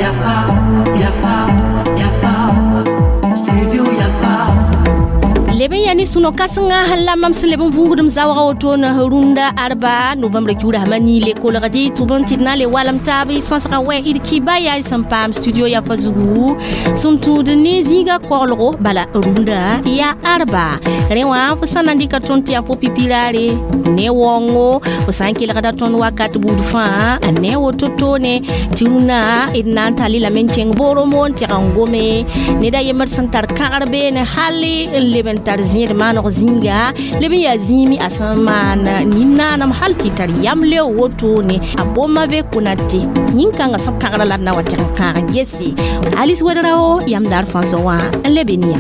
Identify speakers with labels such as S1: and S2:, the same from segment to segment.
S1: Yafa, Yafa, Yafa, Studio Yafa.
S2: Leb n yaa ne sũ-no kãsenga la mam sẽn leb n vũugdem zaoogã wotone rũndã arba novembre kiuda sãma niile kolgd tʋb n tɩ d na n le walem taab y sõsgã wɛ d kiba yaa y sẽn paam studio yafa zugu sẽn tũud ne zĩiga koglgo bala rũndã yaa arba rẽ wã fo sã na n dɩka tõnd tɩ yaa fo pipiraare ne waoongo fo sã n kelgda tõnd wakat buud fãa ne woto toone tɩ rũndã d na n tall lame n kẽng Boromo n tɛg n gome ned a yembr sẽn tar kãgr beene hal n leb n tar zẽed maaneg zĩnga leb n yaa zĩimi a sẽn maan nin-naanam hal tɩ tar yam leo wotone a Boma-Ve Konate yĩn-kãngã sõb kãgrã la d na wa tɛg n kãag n gese Alice Wedrao yam daar fãa zo wã n lebe nia.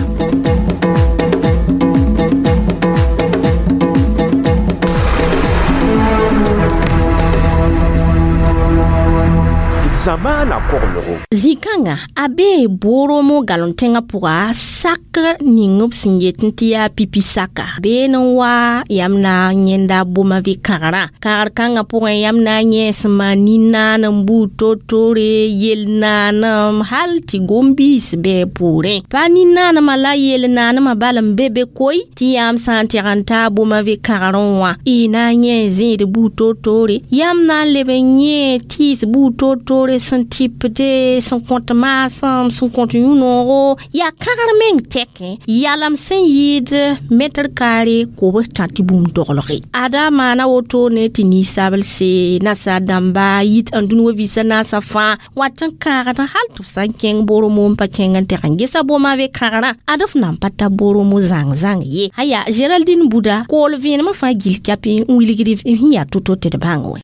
S3: Zamaana koglgo.
S2: Zĩ-kãngã a bee Boromo galem tẽngã pʋga sak ning b sẽn yet tɩ yaa pipi saka been n wa yãmb na n yẽnda Boma-Ve kãgrã kãgr kãngã pʋgẽ yãmb na n yẽ sẽn maan nin-naanem buud toor-toore yel-naanem hal tɩ gom-biis bɩ poorẽ pa nin-naanemã la yel-naanemã bal n be be koe tɩ yãmb sã n tɛg n taa Boma-Ve kãgrẽ wã y na n yẽ zẽed buud toor-toore yãmb na n leb n yẽ tɩɩs buud toor-toore sẽn tɩpde sẽn kõt maasem sẽn kõt yũ-noogo yaa kãgr meng tɛkẽ yalam sẽn yɩɩd mɛtr kaare kobs tã tɩ bũmb doglge ada maana wotone tɩ ninsabl se nasaar dãmba yit n dũni wa vɩɩsã naasã fãa wat n kãagd hal tɩ f sã n kẽng Boromo n pa kẽng n tɛg n gesa Boma-Ve kãgrã ad f nan pa ta Boromo zãng-zãng ye aya Géraldine Buda kool vẽenemã fãa gill kɛpɩ n wilgd sẽn yaa to-to tɩ d bãng wɛ.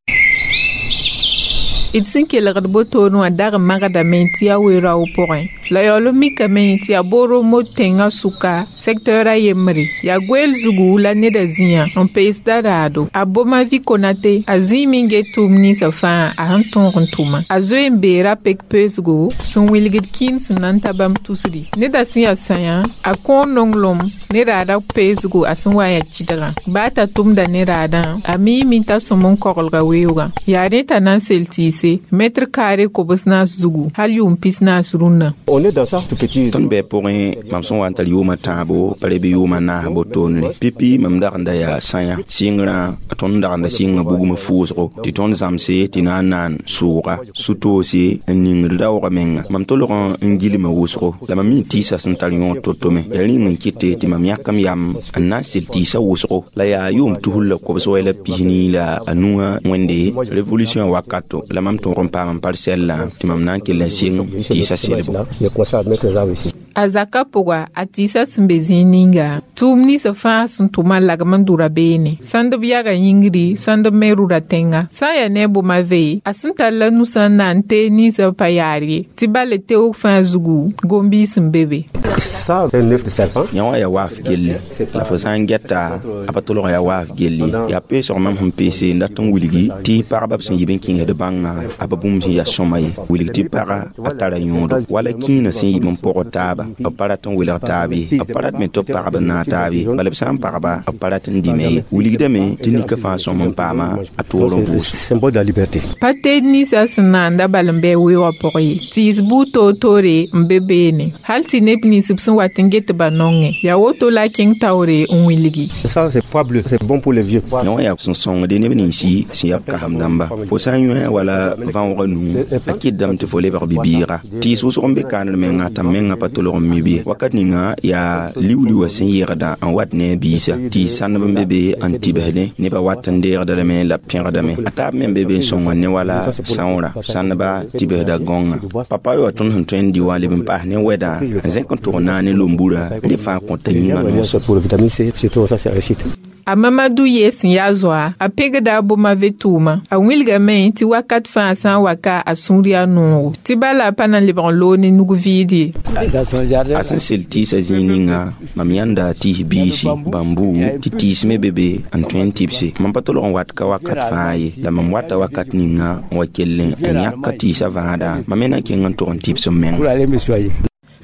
S4: D sẽn kelgd botoone wã dag n magdame tɩ yaa we-raoog pʋgẽ la yaool n mikame tɩ yaa Boromo tẽngã sʋka secteur a yembre yaa goeel zugu la neda zĩyã n peesda raado a Boma-Vi Konate a zĩime n get tʋʋm ninsã fãa a sẽn tõog n tʋma a zoe n beera pek peesgo sẽn wilgd kĩin sẽn na n ta bãmb tusdi neda sẽn yaa sãyã a kõor nonglem ne raada peesgo a sẽn wa n yaa kɩdgã baa t'a tʋmda ne raadã a miime t'a sõm n koglga weoogã yaa rẽ t'a na n sel tɩɩse mètre carré kobs naas zugu hal yʋʋm pis naas rũnnã.
S5: On est dans ça tout petit.
S6: Tõnd bɩ pʋgẽ mam sẽn wa n tar yʋʋmã tãabo pa leb yʋʋmã naas botoonre pipi mam dag n da yaa sãyã sɩngrã tõnd dag n da sɩnga bugmã fʋʋsgo tɩ tõnd zãmse tɩ na n naan sʋʋga su-toose n ningd raoogã menga mam tolg n gilma wʋsgo la mam mi tɩɩsa sẽn tar yõod to-to me yaa rĩng n kɩte tɩ mam yãkam yam n na n sel tɩɩsa wʋsgo la yaa yʋʋm tusr la kobs wɛ la pisnii la a nuã wẽnde révolution wakato la mam tõog n paam n parcelle tɩ mam na n kell n sɩng tɩɩsa selbo.
S5: J'ai commencé à mettre les arbres ici.
S4: A zaka pʋga a tɩɩsa sẽn be zĩig ninga tʋʋm ninsã fãa sẽn tʋma lagm n dʋra beene sãnd b yaga yĩngri sãnd b me rʋra tẽnga sã n yaa ne a Boma-Ve a sẽn tar la nusã n na n teeg ninsã pa yaar ye tɩ bala teoog fãa zugu gom-biis n be be.
S5: Ça, c'est un œuf de serpent.
S6: Yã wã yaa waaf gelle la fo sã n gɛta a pa tolg yaa waaf gelle yaa peesg mam sẽn peese n dat n wilgi tɩ pagba b sẽn yib n kẽesd bãnga a pa bũmb sẽn yaa sõma ye wilg tɩ paga a tara yõodo wala kĩinã sẽn yib n pʋgd taaba b pa rat n welg taab ye b pa rat me tɩ b pagb n naag taab ye bala b sã n pagba b pa rat n dĩme ye wilgdame tɩ nika fãa sõm n paama a toor n vʋʋs.
S5: Symbole de la liberté.
S4: Pa teed ninsã sẽn naanda bal n bɩ weoogã pʋgẽ ye tɩɩs buud toor-toore n be beene hal tɩ neb nins b sẽn wat n get ba nongẽ yaa woto la a kẽng taoore n wilgi.
S5: Ça, c'est pois bleu. C'est bon pour les vieux.
S6: Yã wã yaa sẽn sõngde neb ninsi sẽn yaa b kasem dãmba fo sã n yõe wala vãoogã nuu a kɩtdame tɩ fo lebg bibiiga tɩɩs wʋsg n be kaaned menga t'a menga pa tolg n mi bɩ wakat ninga yaa liu-liuã sẽn yegda n wat ne a biisa tɩɩs sãndb n be be n tɩbsdẽ nebã wat n deegda lame la b pẽgdame a taab me n be be n sõnga ne wala sãoora sãndba tɩbsda gõnga papa wa tõnd sẽn tõe n dɩ wã leb n paas ne wɛdã n zẽk n tʋg naane lombura rẽ fãa kõta yĩngã noos.
S5: Pour le vitamine C, surtout ça, c'est réussite.
S4: A Mamadou ye sẽn yaa zoa a pegda a Boma-Ve tʋʋma a wilgame tɩ wakat fãa sã n wa ka a sũur yaa noogo tɩ bala a pa na n lebg n loog ne nug vɩɩd ye.
S6: A sẽn sel tɩɩsã zĩig ninga mam yãnda tɩɩs biisi bãmbu tɩ tɩɩs me be be n tõe n tɩbse mam pa tolg n wat ka wakat fãa ye la mam wata wakat ninga n wa kell n yãk tɩɩsã vãada mam me na kẽng n tʋg n tɩbs m menga.
S5: Pour aller me soigner.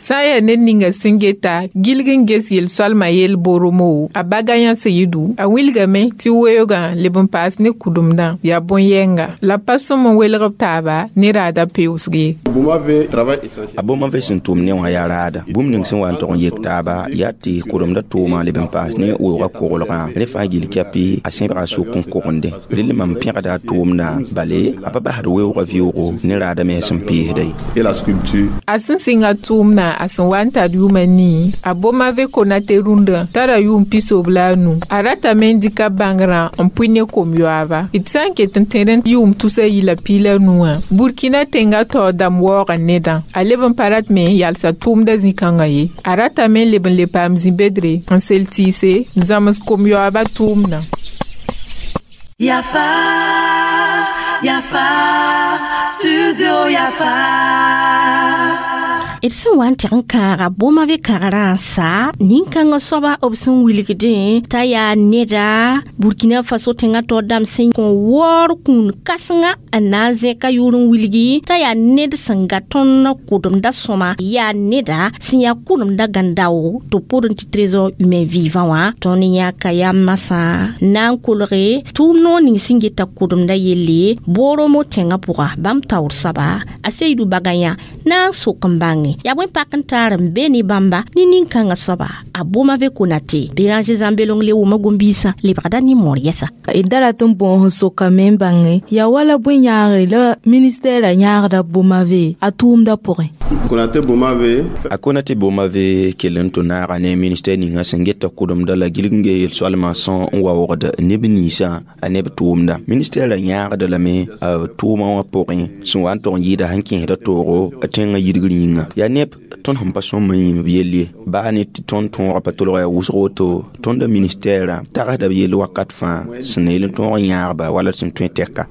S4: Sã n yaa ned ninga sẽn geta gilg n ges yel-soalmã yell boromo a Bagayã Seyidu a wilgame tɩ weoogã leb n paas ne kʋdemdã yaa bõn-yɛnga la pa sõm n welg b taaba ne raada peoosg ye.
S6: A Bomave sẽn tʋm ne wã yaa raada bũmb ning sẽn wa n tog n yek taaba yaa tɩ kʋdemda tʋʋma leb n paas ne weoogã koglgã rẽ fãa gill kɛpɩ a sẽbga sʋk n kogende rel mam pẽgda a tʋʋmdã bale a pa basd weoogã vɩoogo ne raada me sẽn peesda ye.
S4: A sẽn sɩng a tʋʋmdã a sẽn wa n tar yʋʋm a nii a Bomave Konate rũndã tara yʋʋm 95 a ratame n dɩka bãngrã n pʋɩ ne kom-yoaaba d sã n ket n tẽd n yʋʋm 315 wã Burkina tẽngã taoor dãmb waoogã nedã a leb n pa rat me n yalsa tʋʋmdã zĩ-kãngã ye a ratame n leb n le paam zĩ-bedre n sel tɩɩse n zãms kom-yoaabã tʋʋmdã.
S1: Yafa, Yafa, Studio Yafa.
S2: D sẽn wa n tɩg n kãaga Bomave kagrã n sa nin-kãngã soaba b sẽn wilgdẽ t'a yaa neda Burkina Faso tẽngã taoor dãmb sẽn kõ waoor kũun kãsenga n na n zẽka yʋʋr n wilgi t'a yaa ned sẽn ga tõnd kʋdemda sõma yaa neda sẽn yaa kʋdemda gãn-dao tɩ b pʋdẽ tɩ trésor humain vivant wã tõnd yãka yaa masã na n kolge tʋʋm noor ning sẽn geta kʋdemda yelle Boromo tẽngã pʋga bãmb taoor soaba a Seyidu Bagayã na n sok n bãnge yaa bõe pak n taar n be ne bãmba ne nin-kãngã soaba a Bomave Konate Béranger Zãmbelong le wʋma gom-biisã lebgda nin-moor yɛsa.
S3: D da rat n bõos n sokame n bãnge yaa wala bõe yãagre la ministɛɛrã yãagda Bomave a tʋʋmdã pʋgẽ.
S6: A Konate Bomave kell n tʋ naaga ne ministɛr ninga sẽn geta kʋdemda la gilg n ge yel-soalmã sẽn n waoogd neb ninsã a neb tʋʋmda ministɛɛrã yãagda lame a tʋʋmã wã pʋgẽ sẽn wa n tog n yɩɩda sẽn kẽesda toogo tẽngã yidgr yĩnga yaa neb tõnd sẽn pa sõm n yĩmb yell ye baa ne tɩ tõnd tõogã pa tolga yaa wʋsg woto tõnda ministɛɛrã tagsda b yell wakat fãa sẽn na yel n tõog n yãagba wala sẽn tõe tɛka.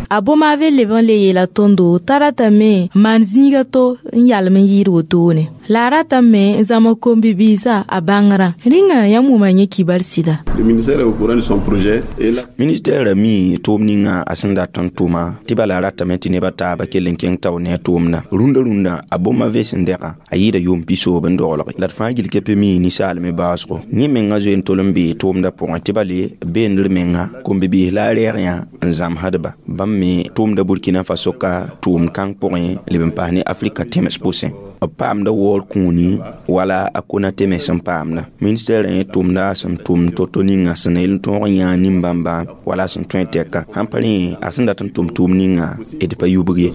S3: A Bomave leb n le yeela tõndo t'a ratame n maan zĩiga to n yalem n yɩɩd wotone la a ratame n zãmg kom-bibiisã a bãngrã rĩnga yãmb wʋma yẽ kibar sɩda.
S6: Ministɛɛrã mi tʋʋm ninga a sẽn dat n tʋma tɩ bala a ratame tɩ nebã taaba kell n kẽng tao ne a tʋʋmdã rũndã rũndã a Bomave sẽn dɛga a yɩɩda yʋʋm 90 n doglge la d fãa gill kɛpɛ mi ninsaalme baoosgo yẽ mengã zoe n tol n bee tʋʋmdã pʋgẽ tɩ bale beendr menga kom-bibiis la a rɛɛg yã n zãmsdba bãmb me tʋʋmda Burkina Faso ka tʋʋm kãng pʋgẽ leb n paas ne Afrika tẽms pʋsẽ b paamda waoor kũuni wala a Konate me sẽn paamda ministɛɛrã yẽ tʋʋmda sẽn tʋm to-to ninga sẽn na yel n tõog n yãag nin-bãmba wala sẽn tõe tɛka sãn pa rẽ a sẽn dat n tʋm tʋʋm ninga d pa yubg ye.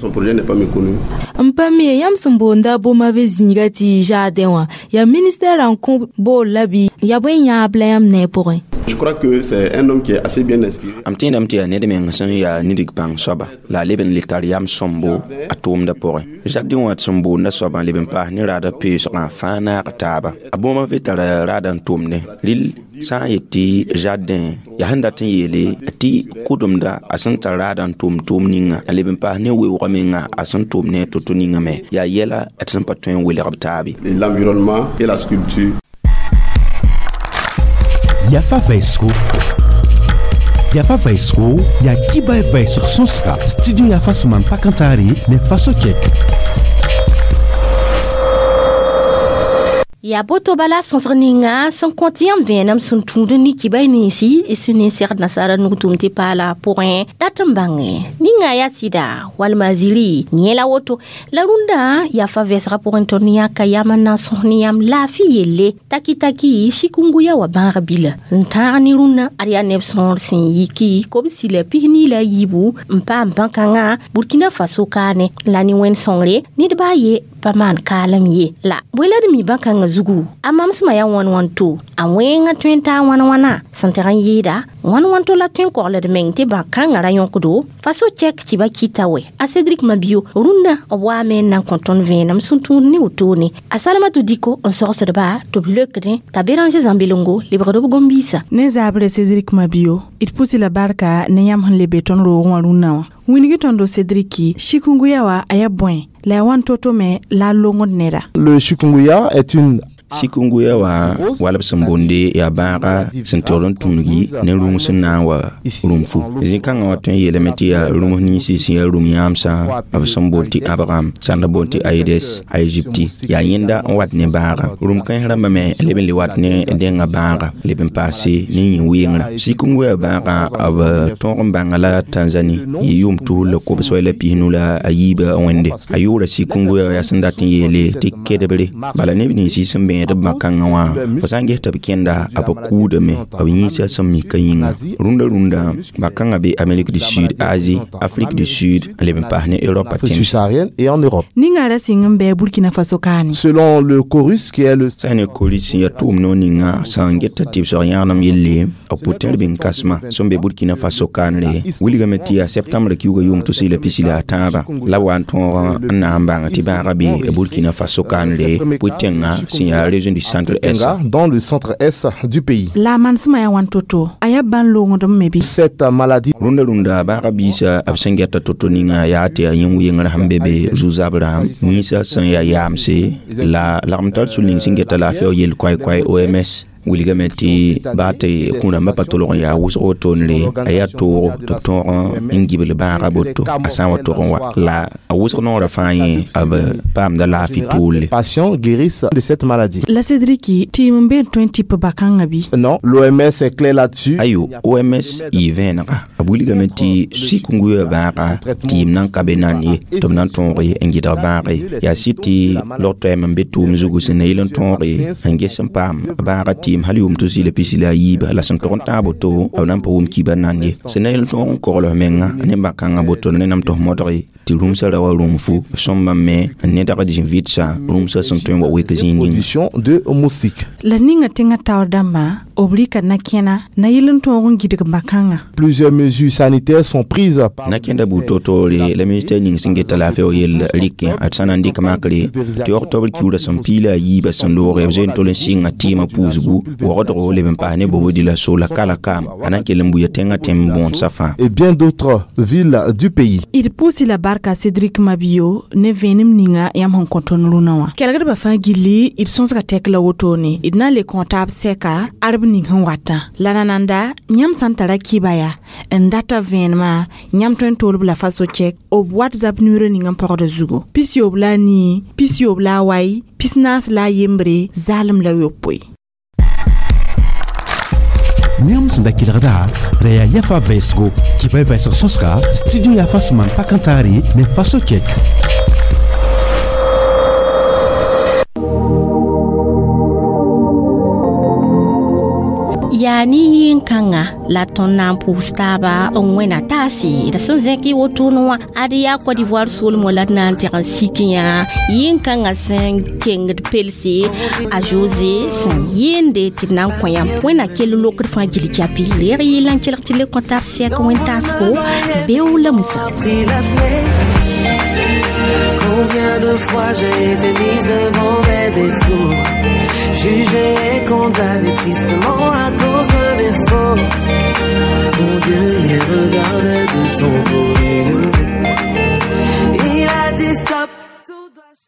S3: N pa mi yãmb sẽn boonda Bomave zĩiga tɩ jardin wã yaa ministɛɛrã n kõ bool la bɩ yaa bõe yãab la yãmb ne a pʋgẽ.
S7: Je crois que c'est un homme qui est assez bien inspiré.
S6: Am tẽedame tɩ yaa ned meng sẽn yaa nidig bãng soaba la a leb n le tar yam sõmbo a tʋʋmdã pʋgẽ jardin wã sẽn boonda soabã leb n paas ne raada peoosgã fãa naag taaba a Bomave tara raada n tʋmdẽ rɩl sã n yet tɩ jardin yaa sẽn dat n yeele tɩ kʋdemda a sẽn tar raada n tʋm tʋʋm ninga a leb n paas ne weoogã menga a sẽn tʋm ne a to-to ninga me yaa yɛla tɩ sẽn pa tõe n welg b taabe.
S7: L'environnement et la sculpture.
S8: Yafa Vaisco. Yafa Vaisco, ya kiba vɛsg sõsga studio Yafa sẽn maan pakãntaare ne Faso Cɛk.
S2: Yaa boto bala sõsg ninga sẽn kõt yãmb vẽenem sẽn tũud n nik kibay ninsi sẽn ne segd nasaara nug tʋm tɩ paala pʋgẽ dat n bãnge ninga yaa sɩda walma ziri yẽ la woto la rũndã yaa fa vɛsgã pʋgẽ tõnd yãka yam n na n sõs ne yãmb laafɩ yelle taki-taki shikunguya wa bãag bila n tãag ne rũndã ad yaa neb sõor sẽn yiki kobsi la 24 n paam bãn-kãngã Burkina Faso kaane la ne wẽnd sõngre ned baa ye pa maan kaalem ye la bõe la d mi bãn-kãngã zugu a mamsmã yaa wãn wãn to a wẽngã tõe n taa wãn wãna sẽn teg n yɩɩda wãn wãn to la tõe n kogld meng tɩ bãn-kãngã ra yõkdo Faso cɛk tɩ ba kɩta wɛ a Cédric Mabio rũndã b waame n na n kõ tõnd vẽenem sẽn tũud ne wotone a Salamatu Diko n sogsdba tɩ b leokdẽ t'a Béranger Zãmbelongo lebgd b gom-biisã.
S9: Ne zaabre Cédric Mabio d pʋsɩ la barka ne yãmb sẽn le be tõnd roogẽ wã rũnnã wã wĩnigi tõndo Cédric shikunguya wa a yaa bõe la yaa wãn to-to me la a longd neda.
S10: Le chikungunya est une
S6: Chikungunya wã wala b sẽn boonde yaa bãaga sẽn togd n tũngi ne rũng sẽn na n wa rũmfu. Zĩ-kãngã wã tõe n yeelame tɩ yaa rũms ninsi sẽn yaa rũm yãamsã b sẽn boond tɩ ãbgam sãn da boond tɩ Aedes aegypti yaa yẽnda n wat ne bãaga. Rũm kãens rãmbã me leb n le wat ne dẽngã bãaga leb n paase ne yĩn-weengrã. Chikungunya bãaga b tõog n bãnga la Tanzanie yɩ yʋʋm 2013 wẽnde. A yʋʋra chikungunya yaa sẽn dat n yeele tɩ kedbre. Bala neb ninsi sẽn bẽed b bã-kãngã wã fo sã n ges tɩ b kẽnda b kʋʋdame b yĩnsã sẽn mika yĩnga. Rũndã rũndã bã-kãngã be Amérique du Sud, Asie, Afrique du Sud n leb n paas ne Europe
S10: subsaharienne et en Europe.
S9: Ninga ra sɩng n bɩ Burkina Faso kaane.
S10: Selon le Chorus qui est le
S6: sã ne Chorus sẽn yaa tʋʋm noor ninga sã n geta tɩ b soag yãgenem yelle b pʋtẽr bĩng kãsema sẽn be Burkina Faso kaanre wilgame tɩ yaa septembre kiuga yʋʋm 2023 la b wa n tõog n na n bãng tɩ bãagã be Burkina Faso kaanre pʋ-tẽngã sẽn yaa région du centre est.
S10: Dans le centre est du pays.
S9: La mansẽma yaa wãn to-to a yaa bãn loongdem me bɩ.
S10: Cette maladie.
S6: Rũndã rũndã bãagã biisã b sẽn geta to-to ninga yaa tɩ yaa yĩn-weengrã sẽn be be zu-zabrã yĩnsã sẽn yaa yaamse la lagm tar sũ ning sẽn geta laafɩ yel koay-koay OMS wilgame tɩ baa tɩ kũ-rãmbã pa tolg n yaa wʋsg wotoonre a yaa toogo tɩ b tõog n gibl bãagã boto a sã n wa tog n wa la a wʋsg noorã fãa yẽ b paamda laafɩ tʋʋle.
S10: Patients guérissent de cette maladie.
S9: La Cédric tɩɩm n be n tõe n tɩp bã-kãngã bɩ?
S10: Non, l'OMS est clair là-dessus.
S6: Ayo, OMS yɩ vẽenega b wilgame tɩ chikungunya bãaga tɩɩm nan ka be nan ye tɩ b na n tõoge n gɩdg bãage. Yaa sɩd tɩ log-toɛɛm n be tʋʋm zugu sẽn na yɩl n tõoge n ges n paam bãaga tɩɩm hal yʋʋm 2023 la sẽn tog n tãag boto b na n pa wʋm kiibã nan ye. Sẽn na yel n tõog n kogls menga ne bã-kãngã boto ne nam tɩ f modge tɩ rũmsã ra wa rũmfu sõmbã me n nedg zĩ-vɩdsã rũmsã sẽn tõe n wa wek zĩig ninga.
S10: De moustique.
S9: La ninga tẽngã taoor dãmbã b rɩka na-kẽna na yɩl n tõog n gɩdg bã-kãngã.
S10: Plusieurs mesures sanitaires sont prises.
S6: Na-kẽnda buud to-toore la ministère ning sẽn geta laafɩ yell rɩkẽ d sã na n dɩk makre tɩ octobre kiuurã sẽn 23 sẽn looge b zoe n tol n sɩnga tɩɩmã puusgu wogdgo leb n paas ne bobodi la so la kala kaam a na n kell n buya tẽngã tẽm bõodsã fãa.
S10: Et bien d'autres villes du pays.
S9: D pʋʋsɩ la barka Cédric Mabio ne vẽenem ninga yãmb sẽn kõ tõnd rũnã wã. Kelgdbã fãa gilli d sõsga tɛk la wotone d na n le kõ taab sɛka arb ning sẽn watã. La nananda yãmb sã n tara kɩba yaa n data vẽenemã yãmb tõe n toolb la faso chɛk b WhatsApp nimero ning n pagda zugu 94 94 43 0
S8: Yãmb sẽn da kelgda ra yaa yafa vɛɛsgo kɩba y vɛɛsg sõsga studio yafa sẽn maan pak n taare ne faso chɛk.
S2: Yaa ne yĩn-kãngã la tõnd na n pʋʋs taaba n wẽna taase d sẽn zẽk y wotone wã ad yaa Côte d'Ivoire soolmã la d na n teg n sik yã yĩn-kãngã sẽn kengd pelse a José sẽn yɩɩnde tɩ d na n kõ yãmb wẽnna kell lokd fãa gil japi leeg yɩla n kelg tɩ le kõ taab sɛk wẽn-taasgo beo la Musa.
S1: Combien de fois j'ai été mise devant mes défauts, jugé et condamné tristement.